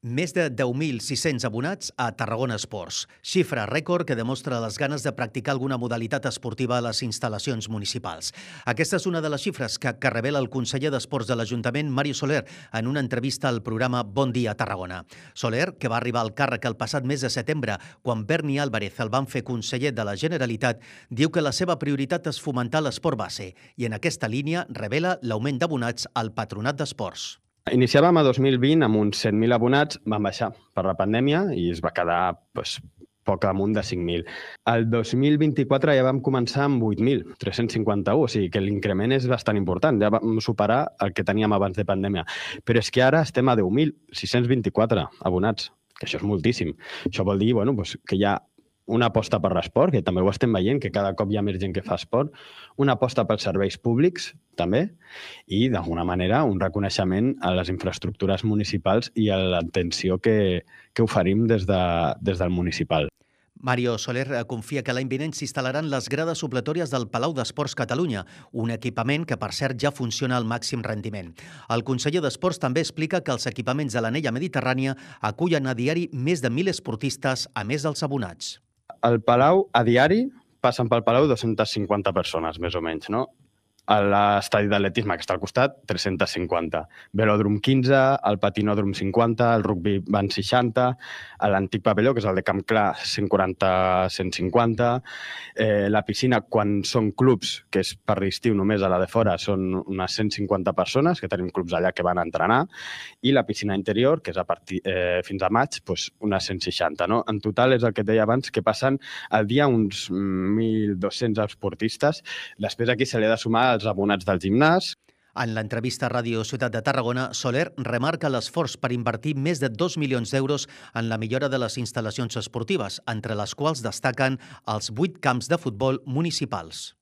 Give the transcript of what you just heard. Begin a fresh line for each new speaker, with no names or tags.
Més de 10.600 abonats a Tarragona Esports, xifra rècord que demostra les ganes de practicar alguna modalitat esportiva a les instal·lacions municipals. Aquesta és una de les xifres que revela el conseller d'Esports de l'Ajuntament, Mario Soler, en una entrevista al programa Bon Dia Tarragona. Soler, que va arribar al càrrec el passat mes de setembre, quan Berni Álvarez el van fer conseller de la Generalitat, diu que la seva prioritat és fomentar l'esport base i en aquesta línia revela l'augment d'abonats al Patronat d'Esports.
Iniciàvem a 2020 amb uns 100.000 abonats, van baixar per la pandèmia i es va quedar poc amunt de 5.000. El 2024 ja vam començar amb 8.351, o sigui que l'increment és bastant important, ja vam superar el que teníem abans de pandèmia. Però és que ara estem a 10.624 abonats, que això és moltíssim. Això vol dir que hi ha una aposta per l'esport, que també ho estem veient, que cada cop hi ha més gent que fa esport, una aposta pels serveis públics, també, i, d'alguna manera, un reconeixement a les infraestructures municipals i a l'atenció que oferim des del municipal.
Mario Soler confia que l'any vinent s'instal·laran les grades supletòries del Palau d'Esports Catalunya, un equipament que, per cert, ja funciona al màxim rendiment. El conseller d'Esports també explica que els equipaments de l'Anella Mediterrània acullen a diari més de 1.000 esportistes, a més dels abonats.
Al Palau, a diari, passen pel Palau 250 persones, més o menys, no? A l'estadi d'atletisme, que està al costat, 350. Velòdrom 15, el patinòdrom 50, el rugby van 60, a l'antic pavelló, que és el de Camp Clar, 140-150. La piscina, quan són clubs, que és per l'estiu només a la de fora, són unes 150 persones, que tenim clubs allà que van a entrenar, i la piscina interior, que és a partir fins a maig, unes 160. No? En total, és el que et deia abans, que passen al dia uns 1.200 esportistes. Després aquí se li ha de sumar els abonats del gimnàs.
En l'entrevista a Ràdio Ciutat de Tarragona, Soler remarca l'esforç per invertir més de 2 milions d'euros en la millora de les instal·lacions esportives, entre les quals destaquen els 8 camps de futbol municipals.